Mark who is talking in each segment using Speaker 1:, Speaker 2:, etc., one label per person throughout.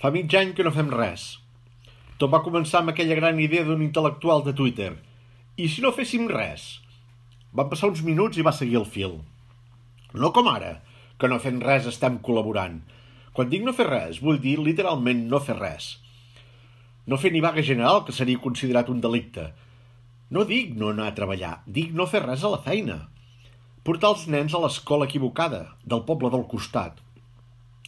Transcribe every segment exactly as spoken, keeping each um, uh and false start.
Speaker 1: Fa mig any que no fem res. Tot va començar amb aquella gran idea d'un intel·lectual de Twitter. I si no féssim res? Van passar uns minuts i va seguir el fil. No com ara, que no fent res estem col·laborant. Quan dic no fer res, vull dir literalment no fer res. No fer ni vaga general, que seria considerat un delicte. No dic no anar a treballar, dic no fer res a la feina. Portar els nens a l'escola equivocada, del poble del costat.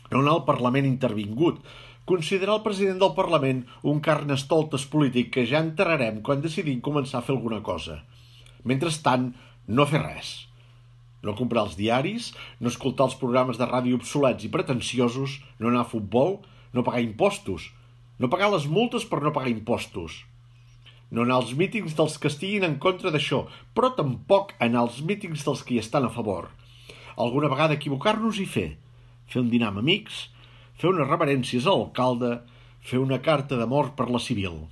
Speaker 1: No anar al Parlament intervingut, considerar el president del Parlament un carnestoltes polític que ja enterrarem quan decidim començar a fer alguna cosa. Mentrestant, no fer res. No comprar els diaris, no escoltar els programes de ràdio obsolets i pretensiosos, no anar a futbol, no pagar impostos, no pagar les multes per no pagar impostos. No anar als mítings dels que estiguin en contra d'això, però tampoc anar als mítings dels que hi estan a favor. Alguna vegada equivocar-nos i fer. Fer un dinar amb amics, fer unes reverències a l'alcalde, fer una carta d'amor per la civil.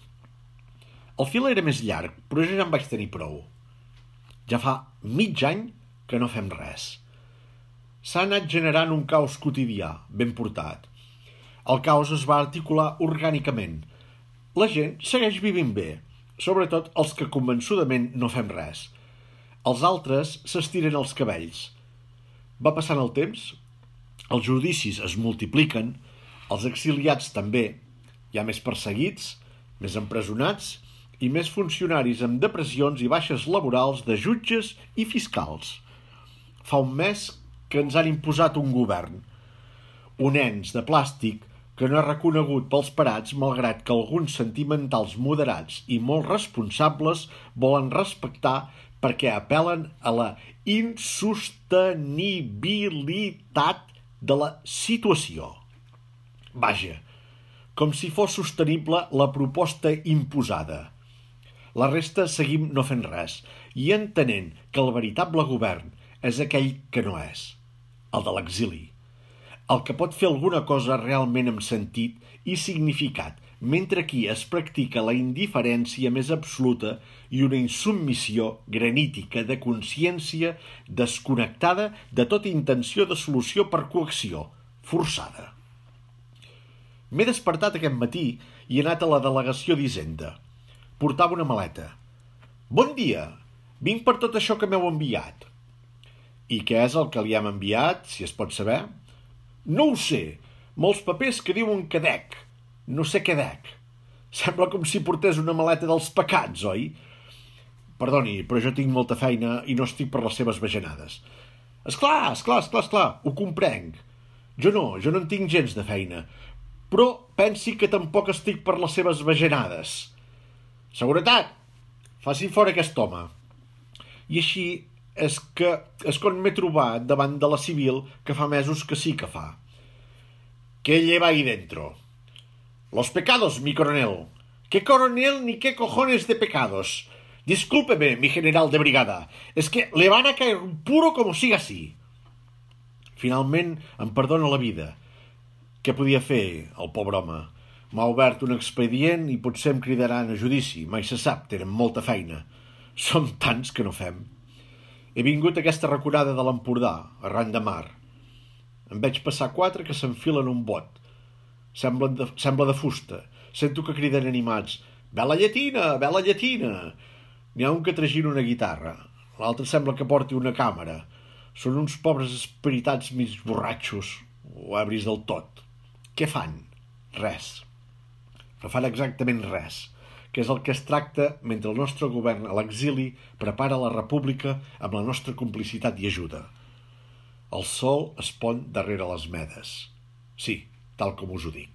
Speaker 1: El fil era més llarg, però jo ja en vaig tenir prou. Ja fa mig any que no fem res. S'ha anat generant un caos quotidià, ben portat. El caos es va articular orgànicament. La gent segueix vivint bé, sobretot els que convençudament no fem res. Els altres s'estiren els cabells. Va passant el temps, els judicis es multipliquen, els exiliats també, hi ha més perseguits, més empresonats i més funcionaris amb depressions i baixes laborals de jutges i fiscals. Fa un mes que ens han imposat un govern, un ens de plàstic que no és reconegut pels parats malgrat que alguns sentimentals moderats i molt responsables volen respectar perquè apel·len a la insostenibilitat de la situació. Vaja, com si fos sostenible la proposta imposada. La resta seguim no fent res i entenent que el veritable govern és aquell que no és, el de l'exili. El que pot fer alguna cosa realment amb sentit i significat, mentre aquí es practica la indiferència més absoluta i una insubmissió granítica de consciència desconnectada de tota intenció de solució per coacció, forçada. M'he despertat aquest matí i he anat a la delegació d'Hisenda. Portava una maleta. Bon dia, vinc per tot això que m'heu enviat. I què és el que li hem enviat, si es pot saber? No ho sé, molts papers que diuen que dec. No sé què dec. Sembla com si portés una maleta dels pecats, oi? Perdoni, però jo tinc molta feina i no estic per les seves bajanades. Esclar, esclar, esclar, esclar, ho comprenc. Jo no, jo no en tinc gens de feina. Però pensi que tampoc estic per les seves bajanades. Seguretat! Faci fora aquest home. I així és que és quan m'he trobat davant de la civil que fa mesos que sí que fa. ¿Qué lleva ahí dentro? Los pecados, mi coronel. ¿Qué coronel ni qué cojones de pecados? Discúlpeme, mi general de brigada. Es que le van a caer puro como siga así. Finalment em perdona la vida. Què podia fer, el pobre home? M'ha obert un expedient i potser em cridaran a judici. Mai se sap, tenen molta feina. Som tants que no fem. He vingut a aquesta raconada de l'Empordà, arran de mar. En veig passar quatre que s'enfilen un bot. Sembla de, sembla de fusta. Sento que criden animats. Vela llatina, vela llatina. N'hi ha un que tragina una guitarra. L'altre sembla que porti una càmera. Són uns pobres espiritats mig borratxos, o ebris del tot. Què fan? Res. No fan exactament res, que és el que es tracta mentre el nostre govern a l'exili prepara la república amb la nostra complicitat i ajuda. El sol es pon darrere les medes. Sí, tal com us ho dic.